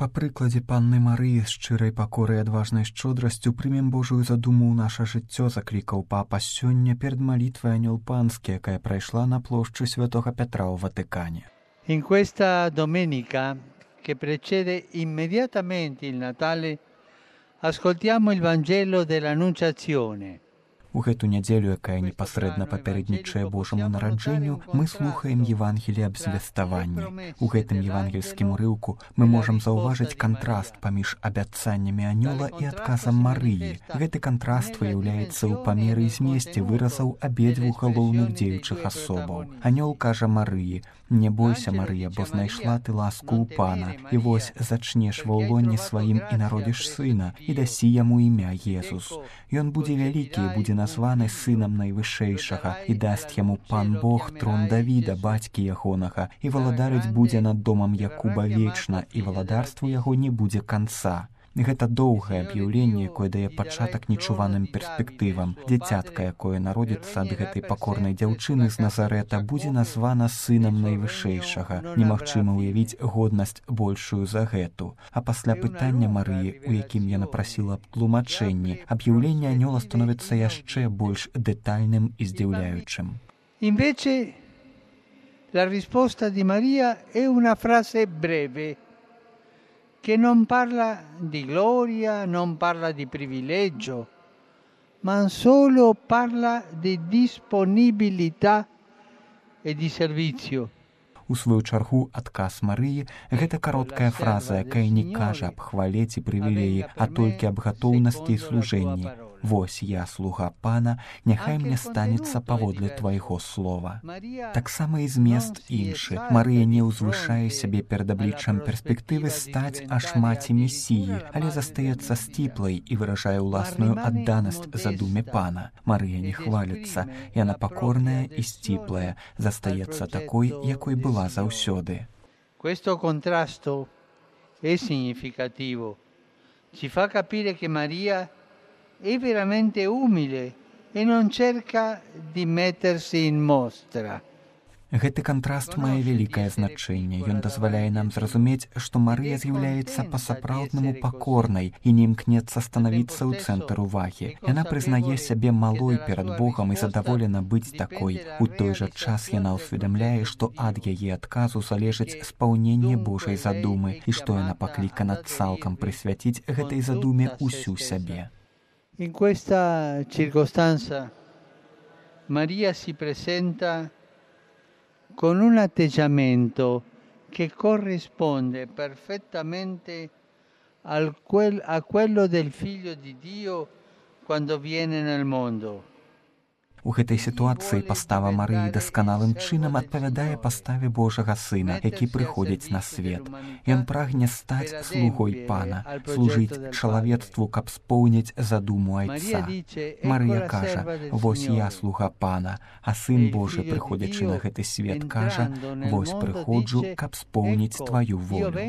Па прыкладзе панны Марыі з шчырай пакорай і адважнай шчодрасцю прымем Божую задуму ў наша жыццё, заклікаў папа сёння перад малітвай Анёл Панскі, якая прайшла на плошчы Святога Петра ў Ватыкане. In questa domenica che precede immediatamente il Natale ascoltiamo il Vangelo dell'Annunciazione. У гэту нядзелю, якая непасрэдна папярэднічае Божаму нараджэнню, мы слухаем Евангелие аб звеставанні. У гэтым евангельскім урыўку мы можам заўважыць кантраст паміж абяцаннямі анёла і адказам Марыі. Гэты кантраст выяўляецца ў памеры і змесце выразаў абедзвюх галоўных дзеючых асобаў. Анёл кажа Марыі: «Не бойся, Марыя, бо знайшла ты ласку ў Пана, і вось зачнеш ва ўлонні сваім і народзіш сына, і дасі яму імя Езус. Ён будзе вялікі і будзе названы сынам Найвышэйшага, і дасць яму Пан Бог трон Давіда, бацькі ягонага, і валадарыць будзе над домам Якуба вечна, і валадарству яго не будзе канца». Гэта доўгае аб'яўленне, якое дае пачатак нечуваным перспектывам. Дзіцятка, якое народзіцца ад гэтай пакорнай дзяўчыны з Назарэта, будзе названа сынам Найвышэйшага. Немагчыма ўявіць годнасць большую за гэту. А пасля пытання Марыі, у якім яна прасіла аб тлумачэнні, аб'яўленне анёла становіцца яшчэ больш дэтальным і здзіўляючым. Invece la risposta di Maria è una frase breve che non parla di gloria, non parla di privilegio, ma solo parla di disponibilità e di servizio. У сваю чаргу адказ Марыі – гэта кароткая фраза, якая не кажа аб хвале ці прывілеі, а толькі аб гатоўнасці і служэнні. «Вось я, слуга Пана, няхай мне станецца паводле твайго слова». Таксама і змест іншы. Марыя не ўзвышае сябе перад абліччам перспектывы стаць аж маці Месіі, але застаецца сціплай і выражае ўласную адданасць задуме Пана. Марыя не хваліцца, яна пакорная і сціплая, застаецца такой, якой была заўсёды. Questo contrasto è significativo. Ci fa capire che Maria è veramente umile e non cerca di mettersi in mostra. Гэты кантраст мае вялікае значэнне. Ён дазваляе нам зразумець, што Марыя з'яўляецца па-сапраўднаму пакорнай і не імкнецца станавіцца ў цэнтр увагі. Яна прызнае сябе малой перад Богам і задаволена быць такой. У той жа час яна ўсведамляе, што ад яе адказу залежыць спаўненне Божай задумы і што яна паклікана цалкам прысвяціць гэтай задуме ўсю сябе. In questa circostanza Maria si presenta con un atteggiamento che corrisponde perfettamente a quello del Figlio di Dio quando viene nel mondo. У гэтай сітуацыі пастава Марыі дасканалым чынам адпавядае паставе Божага Сына, які прыходзіць на свет. Ён прагне стаць слугой Пана, служыць чалавецтву, каб споўніць задуму Айца. Марыя кажа: «Вось я, слуга Пана», а Сын Божы, прыходзячы на гэты свет, кажа: «Вось прыходжу, каб споўніць тваю волю».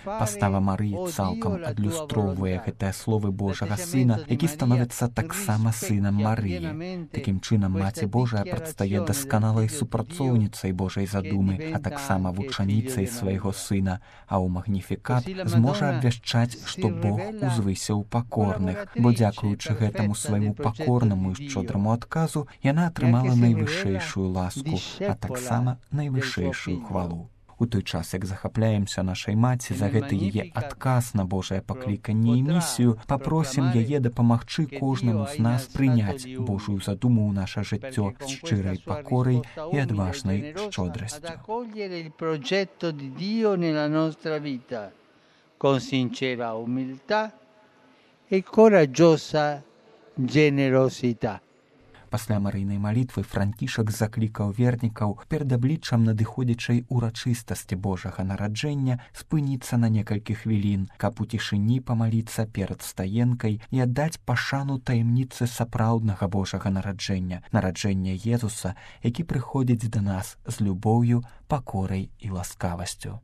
Пастава Марыі цалкам адлюстроўвае гэтыя словы Божага Сына, які становіцца таксама сынам Марыі. Такім чынам Маці Божая прадстае дасканалай супрацоўніцай Божай задумы, а таксама вучаніцай свайго Сына, а ў магніфікат зможа абвяшчаць, што Бог узвысіў пакорных, бо дзякуючы гэтаму свайму пакорнаму і шчодраму адказу яна атрымала найвышэйшую ласку, а таксама найвышэйшую хвалу. У той час, як захапляемся нашай маці за гэты яе адказ на Божае пакліканне і місію, папросім яе дапамагчы кожнаму з нас прыняць Божую задуму ў наша жыццё з шчырай пакорай і адважнай шчодрасцю. Con sincera umiltà e coraggiosa generosità. Пасля марыйнай малітвы Францішак заклікаў вернікаў перад абліччам надыходзячай урачыстасці Божага нараджэння спыніцца на некалькі хвілін, каб у цішыні памаліцца перад стаенкай і аддаць пашану таямніцы сапраўднага Божага нараджэння, нараджэння Езуса, які прыходзіць да нас з любоўю, пакорай і ласкавасцю.